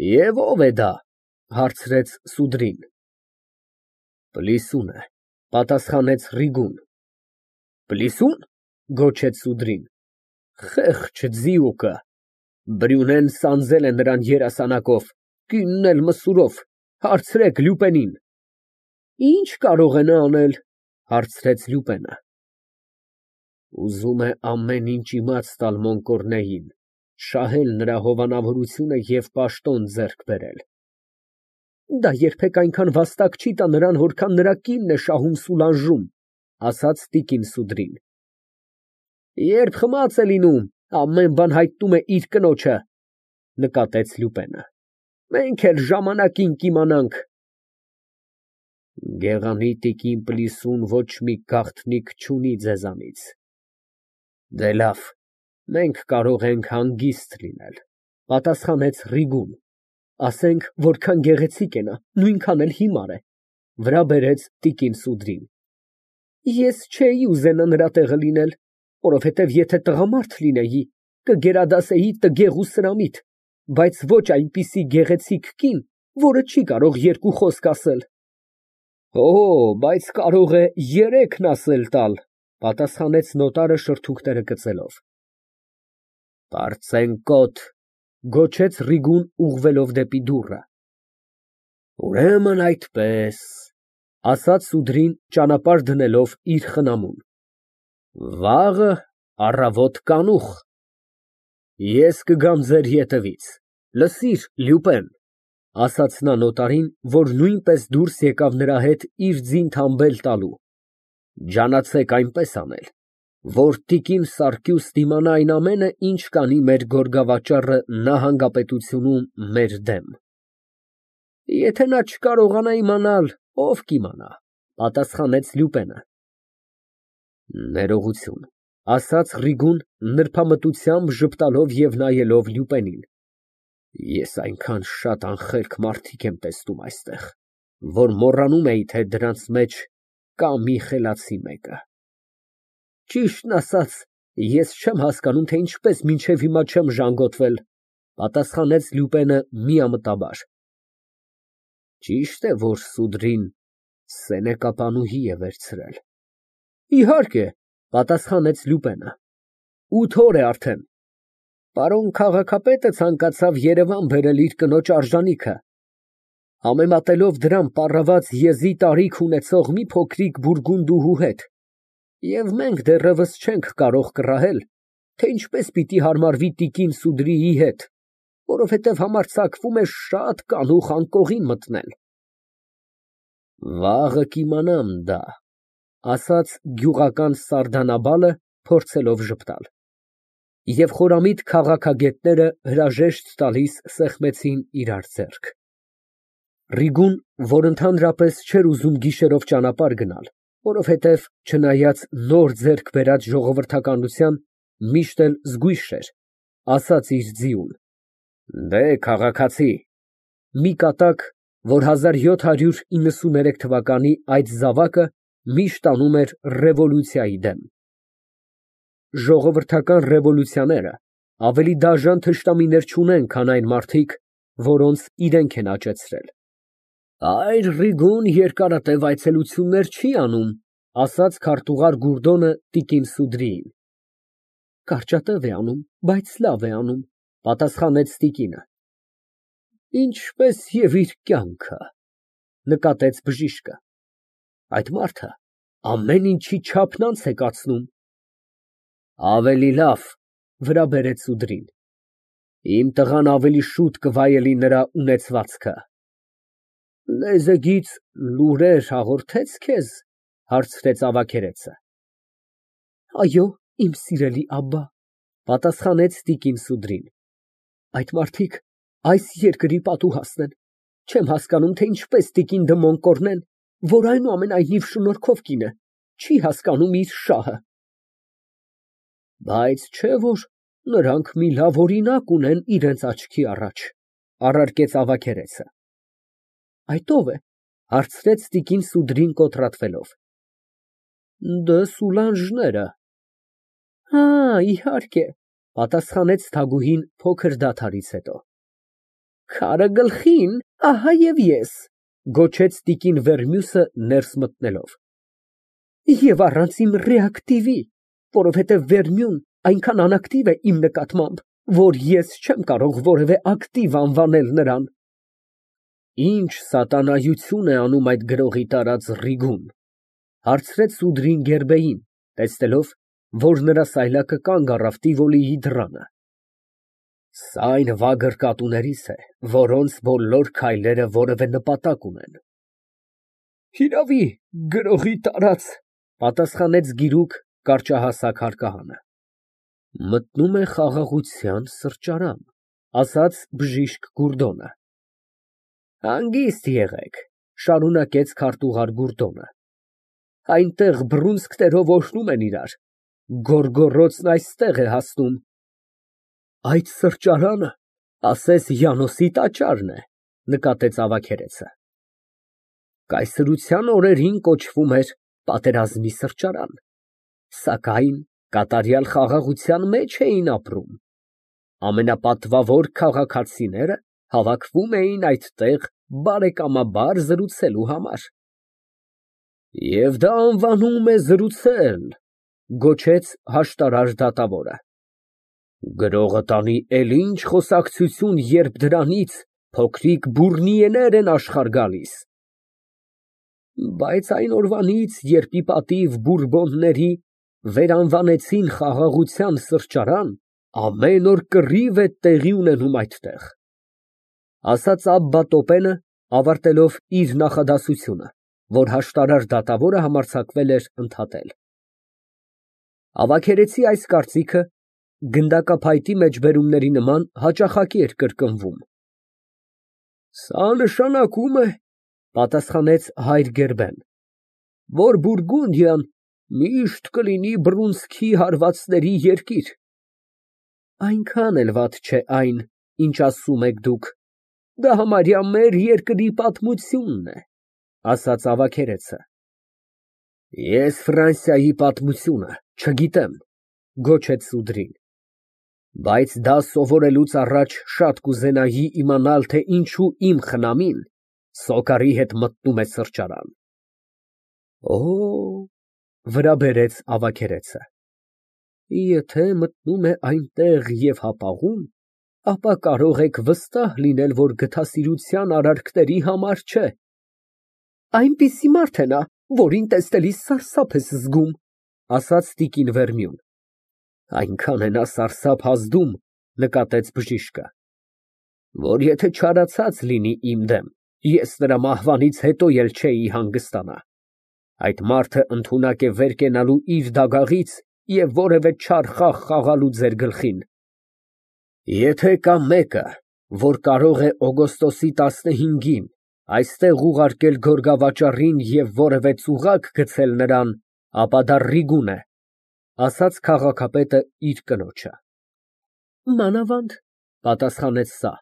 Եվ ո՞վ է դա, հարցրեց Սուդրին։ Պլիսուն է, պատասխանեց Ռիգուն։ Պլիսո՞ւն, գոչեց Սուդրին։ Խեղճ ձիուկը, Բրյունեն սանձել է նրան երասանակով, կինն էլ մսուրով, հարցրեք Լյուպենին։ Ինչ կարող է նա անել, հարցրեց Լյուպենը։ Ուզում է ամեն ինչ իմաց տալ Մոնկորնեին, շահել նրա հովանավորությունը և պաշտոն ձեռք բերել։ Դա երբեք այնքան վաստակ չի տա նրան, որքան նրա կինն է շահում Սուլանժում, ասաց տիկին Սուդրին։ Երբ խմած է լինում, ամեն բան հայտնում է իր կնոջը, նկատեց Լյուպենը։ Մենք էլ ժամանակին կիմանանք։ Գեղանի տիկին Պլիսուն ոչ մի գաղտնիք չունի ձեզանից։ Դե լավ, մենք կարող ենք հանգիստ լինել, պատասխանեց Ռիգուն։ Ասենք, որքան գեղեցիկ է նա, նույնքան էլ հիմար է, վրա բերեց տիկին Սուդրին։ Ես չէի ուզենա նրա տեղը լինել, որովհետև եթե տղամարդ լինեի, կգերադասեի տգեղ ու սրամիտ, բայց ոչ այնպիսի գեղեցիկ կին, որը չի կարող երկու խոսք ասել։ Օ, բայց կարող է երեքն ասել տալ, պատասխանեց նոտարը շրթունքները կծելով։ Պարծենկոտ, գոչեց Ռիգուն ուղղվելով դեպի դուռը։ Ուրեմն այդպես, ասաց Սուդրին ճանապարհ դնելով իր խնամուն։ Վաղը առավոտ կանուխ։ Ես կգամ ձեր ետևից, լսիր, Լյուպեն, ասաց նա նոտարին, որ նույնպես դուրս եկավ նրա հետ իր ձին թամբել տալու։ Ջանացեք այնպես անել, որ տիկին Սարգյուս դիմանա այն ամենը, ինչ կանի մեր գորգավաճառը նահանգապետությունում մեր դեմ։ Եթե նա չկարողանա իմանալ, ով կիմանա, պատասխանեց Լյուպենը։ Ներողություն, ասաց Ռիգուն նրբամտությամբ ժպտալով և նայելով Լյուպենին։ Ես այնքան շատ անխելք մարդիկ եմ տեսնում այստեղ, որ մոռանում էի, թե դրանց մեջ կա մի խելացի մեկը։ Ճիշտն ասած, ես չեմ հասկանում, թե ինչպես մինչև հիմա չեմ ժանգոտվել, պատասխանեց Լյուպենը միամտաբար։ Ճիշտ է, որ Սուդրին սենեկապանուհի է վերցրել։ Իհարկե, պատասխանեց Լյուպենը։ 8 օր է արդեն։ Պարոն քաղաքապետը ցանկացավ Երևան բերել իր կնոջ արժանիքը։ Համեմատելով դրան պառաված եզի տարիք ունեցող մի փոքրիկ բուրգունդուհու հետ։ Եվ մենք դեռևս չենք կարող կռահել, թե ինչպես պիտի հարմարվի տիկին Սուդրիի հետ, որովհետև համարձակվում է շատ կանուխ անկողին մտնել։ Վաղը կիմանամ դա, ասաց գյուղական սարդանաբալը, փորձելով ժպտալ։ Եվ խորամիտ քաղաքագետները հրաժեշտ տալիս սեղմեցին իրար ձեռք։ Ռիգուն, որ ընդհանրապես չէր ուզում գիշերով ճանապարհ գնալ, որովհետև չնայած նոր ձեռք բերած ժողովրդականության, միշտ էլ զգույշ էր, ասաց իր ձիուն. Դե, քաղաքացի, մի կատակ, որ 1793 թվականի այդ զավակը միշտ անում էր ռևոլյուցիայի դեմ։ Ժողովրդական ռևոլյուցիաները ավելի դաժան թշնամիներ չունեն, քան այն մարդիկ, որոնց իրենք են աճեցրել։ Այր Ռիգուն երկարատև այցելություններ չի անում, ասաց քարտուղար Գուրդոնը տիկին Սուդրիին։ Կարճատև է անում, բայց լավ է անում, պատասխանեց տիկինը։ Ինչպես և իր կյանքը, նկատեց բժիշկը։ Այդ մարդը ամեն ինչի չափն անց է կացնում։ Ավելի լավ, վրա բերեց Սուդրին։ Իմ տղան ավելի շուտ կվայելի նրա ունեցվածքը։ Լեզեգից լուրեր հաղորդե՞ց քեզ, հարցրեց ավագերեցը։ Այո, իմ սիրելի աբբա, պատասխանեց տիկին Սուդրին։ Այդ մարդիկ այս երկրի պատուհասն են։ Չեմ հասկանում, թե ինչպես տիկին դը Մոնկորնեն, որ այնուամենայնիվ շնորհքով կին է, չի հասկանում իր շահը։ Բայց չէ որ նրանք մի լավ օրինակ ունեն իրենց աչքի առաջ, առարկեց ավագերեցը։ Այդ ո՞վ է, հարցրեց տիկին Սուդրին կոտրատվելով։ Դե Սուլանժները։ Հա, իհարկե, պատասխանեց Թագուհին փոքր դադարից հետո։ Քարը գլխին, ահա և ես, գոչեց տիկին Վերմյուսը ներս մտնելով։ Եվ առանց իմ ռեակտիվի, որովհետև Վերմյուն այնքան անակտիվ է իմ նկատմամբ, որ ես չեմ կարող որևէ ակտիվ անվանել նրան։ Ինչ սատանայություն է անում այդ գրողի տարած Ռիգուն, հարցրեց Սուդրին Գերբեին, տեսնելով, որ նրա սայլակը կանգ առավ Տիվոլիի դռանը։ Սա այն վագր կատուներից է, որոնց բոլոր քայլերը որևէ նպատակ ունեն։ Հիրավի, գրողի տարած, պատասխանեց գիրուկ կարճահասակ հարկահանը։ Մտնում է խաղաղության սրճարան, ասաց բժիշկ Գուրդոնը։ Հանգիստ եղեք, շարունակեց քարտուղար Գուրդոնը։ Այնտեղ բռունցքներով օրհնում են իրար, գոռգոռոցն այստեղ է հասնում։ Այդ սրճարանը, ասես Յանոսի տաճարն է, նկատեց ավագերեցը։ Կայսրության օրերին կոչվում էր պատերազմի սրճարան, սակայն կատարյալ խաղաղության մեջ էին ապրում։ Ամենապատվավոր քաղաքացիները հավաքվում էին այդտեղ բարեկամաբար զրուցելու համար։ Եվ դա անվանում է զրուցել, գոչեց հաշտարար դատավորը։ Գրողը տանի էլ ինչ խոսակցություն, երբ դրանից փոքրիկ բուռնիեներ են աշխարհ գալիս։ Բայց այն օրվանից, երբ ի պատիվ Բուրբոնների վերանվանեցին խաղաղության սրճարան, ամեն օր կռիվ է տեղի ունենում այդտեղ, ասաց Աբբա Տոպենը, ավարտելով իր նախադասությունը, որ հաշտարար դատավորը համարձակվել էր ընդհատել։ Ավագերեցի այս կարծիքը գնդակափայտի մեջբերումների նման հաճախակի էր կրկնվում։ Սա նշանակում է, պատասխանեց հայր Գերբեն, որ Բուրգունդիան միշտ կլինի բռունցքի հարվածների երկիր։ Այնքան էլ վատ չէ այն, ինչ ասում եք դուք, դա համարյա մեր երկրի պատմությունն է, ասաց ավագերեցը։ Ես Ֆրանսիայի պատմությունը չգիտեմ, գոչեց Սուդրին, բայց դա սովորելուց առաջ շատ կուզենայի իմանալ, թե ինչու իմ խնամին Սոկարի հետ մտնում է սրճարան։ Օ, վրա բերեց ավագերեցը, եթե մտնում է այնտեղ և հապաղում, ապա կարող եք վստահ լինել, որ գթասիրության արարքների համար չէ։ Այնպիսի մարդ է նա, որին տեսնելիս սարսափ ես զգում, ասաց տիկին Վերմյուն։ Այնքան է նա սարսափ ազդում, նկատեց բժիշկը, որ եթե չարացած լինի իմ դեմ, ես նրա մահվանից հետո էլ չէի հանգստանա։ Այդ մարդը ընդունակ է վեր կենալու իր դագաղից և որևէ չար խաղ խաղալու ձեր գլխին։ Եթե կա մեկը, որ կարող է օգոստոսի 15-ին այստեղ ուղարկել գորգավաճառին և որևէ ծուղակ գցել նրան, ապա դա Ռիգուն է, ասաց քաղաքապետը իր կնոջը։ Մանավանդ, պատասխանեց սա,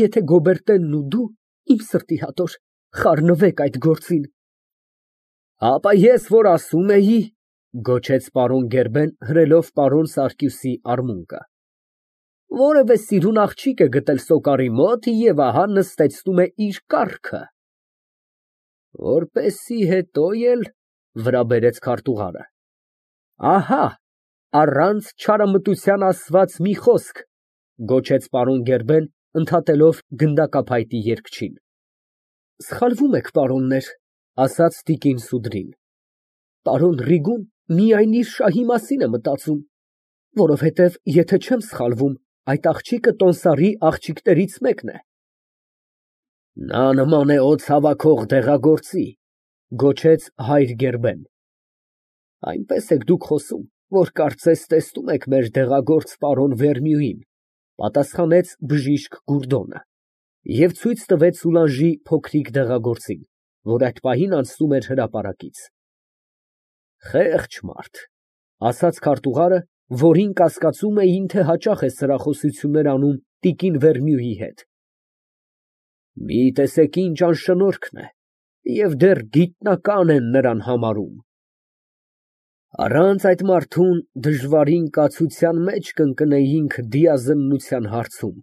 եթե Գոբերտենն ու դու, իմ սրտի հատոր, խառնվեք այդ գործին։ Ապա ես որ ասում էի, գոչեց պարոն Գերբեն, հրելով պարոն Սարգիսի արմունկը։ Որևէ սիրուն աղջիկ է գտել Սոկարի մոտ և ահա նստեցնում է իր կառքը։ Որպեսի հետո էլ, վրա բերեց քարտուղարը, ահա, առանց չարամտության ասված մի խոսք, գոչեց պարոն Գերբեն, ընդհատելով գնդակափայտի երգչին։ Սխալվում եք, պարոններ, ասաց տիկին Սուդրին։ Պարոն Ռիգուն միայն իր շահի մասին է մտածում, որովհետև, եթե չեմ սխալվում, այդ աղջիկը տոմսարի աղջիկներից մեկն է։ Նա նման է օձ հավաքող դեղագործի, գոչեց հայր Գերբեն։ Այնպես եք դուք խոսում, որ կարծես տեսնում եք մեր դեղագործ պարոն Վերմյուին, պատասխանեց բժիշկ Գուրդոնը և ցույց տվեց Սուլանժի փոքրիկ դեղագործին, որ այդ պահին անցնում էր հրապարակից։ Խեղճ մարդ, ասաց քարտուղարը, որին կասկածում էին, թե հաճախ է սրախոսություններ անում տիկին Վերմյուի հետ։ Մի տեսեք ինչ անշնորհքն է, և դեռ գիտնական են նրան համարում։ Առանց այդ մարդուն դժվարին կացության մեջ կընկնեինք դիազնության հարցում,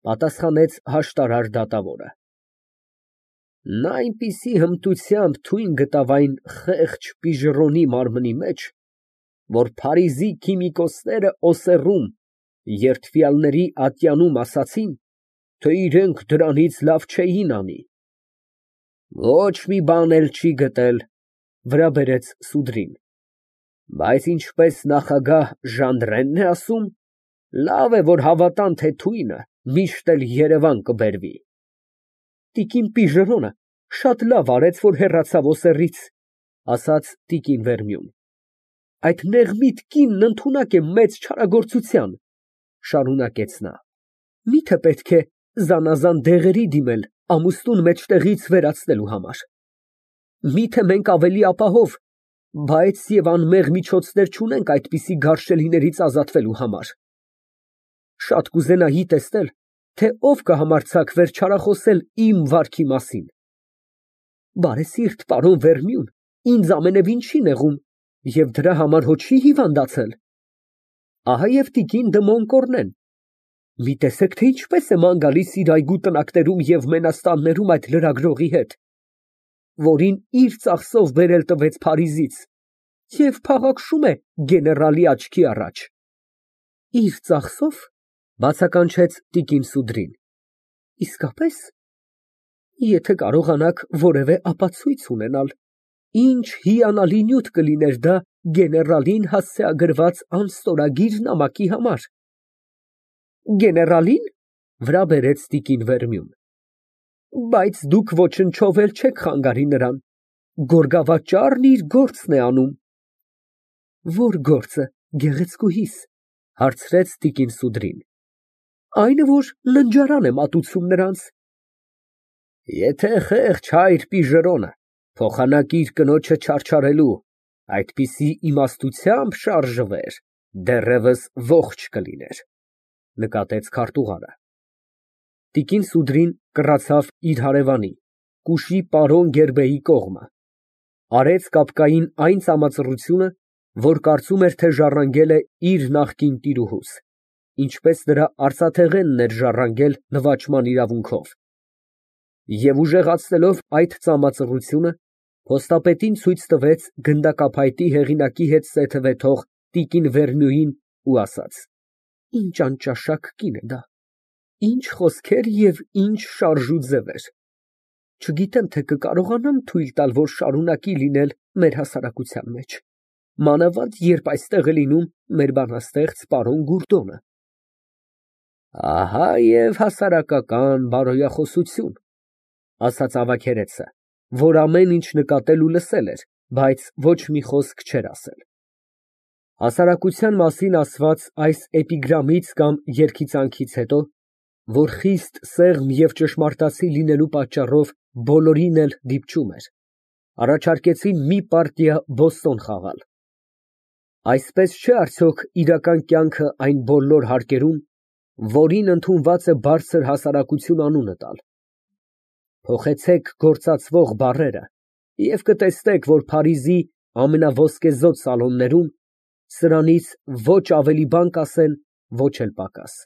Պատասխանեց հաշտարար դատավորը։ Նա այնպիսի հմտությամբ թույն գտավ այն խեղճ պիժռոնի մարմնի մեջ, որ Փարիզի քիմիկոսները Օսեռում երդվյալների ատյանում ասացին, թե իրենք դրանից լավ չէին անի։ Ոչ մի բան էլ չի գտել, վրա բերեց սուդրին, բայց ինչպես նախագահ Ժանդրենն է ասում, լավ է, որ հավատան, թե թույնը միշտ էլ Երևան կբերվի։ Տիկին Պիժռոնը շատ լավ արեց, որ հեռացավ Օսեռից, ասաց տիկին Վերնյուն։ Այդ նեղմիտ կինն ընդունակ է մեծ չարագործության, շարունակեց նա։ Միթե պետք է զանազան դեղերի դիմել ամուսնուն մեջտեղից վերացնելու համար։ Միթե մենք ավելի ապահով, բայց եւ անմեղ միջոցներ չունենք այդպիսի գարշելիներից ազատվելու համար։ Շատ կուզենայի տեսնել, թե ով կհամարձակվեր չարախոսել իմ վարքի մասին։ Բարեսիրտ պարոն Վերնյուն ինձ ամենևին չի նեղում և դրա համար հո չի հիվանդացել։ Ահա և տիկին դը Մոնկորնեն։ Մի տեսեք, թե ինչպես է ման գալիս իր այգու տնակներում և մենաստաններում այդ լրագրողի հետ, որին իր ծախսով բերել տվեց Փարիզից, և փաղաքշում է գեներալի աչքի առաջ։ Իր ծախսո՞վ, բացականչեց տիկին Սուդրին։ Իսկապե՞ս։ Եթե կարողանաք որևէ ապացույց ունենալ, ինչ հիանալի նյութ կլիներ դա գեներալին հասցեագրված անստորագիր նամակի համար։ Գեներալի՞ն, վրա բերեց տիկին Վերնյուն։ Բայց դուք ոչնչով էլ չեք խանգարի նրան, գորգավաճառն իր գործն է անում։ Ո՞ր գործը, գեղեցկուհիս, հարցրեց տիկին Սուդրին։ Այնը, որ ննջարան է մատուցում նրանց։ Եթե խեղճ հայր Պիժռոնը փոխանակիր կնոջը չարչարելու, այդպիսի իմաստությամբ շարժվեր, դեռևս ողջ կլիներ, նկատեց քարտուղարը։ Տիկին Սուդրին կռացավ իր հարևանի, կուշի պարոն Գերբեի կողմը, արեց կապկային այն ծամածռությունը, որ կարծում էր, թե ժառանգել է իր նախկին տիրուհուս, ինչպես նրա արծաթեղենն էր ժառանգել նվաճման իրավունքով, և ուժեղացնելով այդ ծամածռությունը, փոստապետին ցույց տվեց գնդակափայտի հեղինակի հետ սեթևե թող տիկին Վերնյուին ու ասաց. Ինչ անճաշակ կին է դա, ինչ խոսքեր և ինչ շարժ ու ձևեր։ Չգիտեմ, թե կկարողանամ թույլ տալ, որ շարունակի լինել մեր հասարակության մեջ, մանավանդ երբ այստեղ է լինում մեր բանաստեղծ պարոն Գուրդոնը։ Ահա և հասարակական բարոյախոսություն, ասաց ավագերեցը, որ ամեն ինչ նկատել ու լսել էր, բայց ոչ մի խոսք չէր ասել։ Հասարակության մասին ասված այս էպիգրամից կամ երգիծանքից հետո, որ խիստ սեղմ և ճշմարտացի լինելու պատճառով բոլորին էլ դիպչում էր, առաջարկեցին մի պարտիա բոստոն խաղալ։ Այսպես չէ արդյոք իրական կյանքը այն բոլոր հարկերում, որին ընդունված է բարձր հասարակություն անունը տալ։ Փոխեցեք գործածվող բառերը և կտեսնեք, որ Փարիզի ամենաոսկեզօծ սալոններում սրանից ոչ ավելի բան կասեն, ոչ էլ պակաս։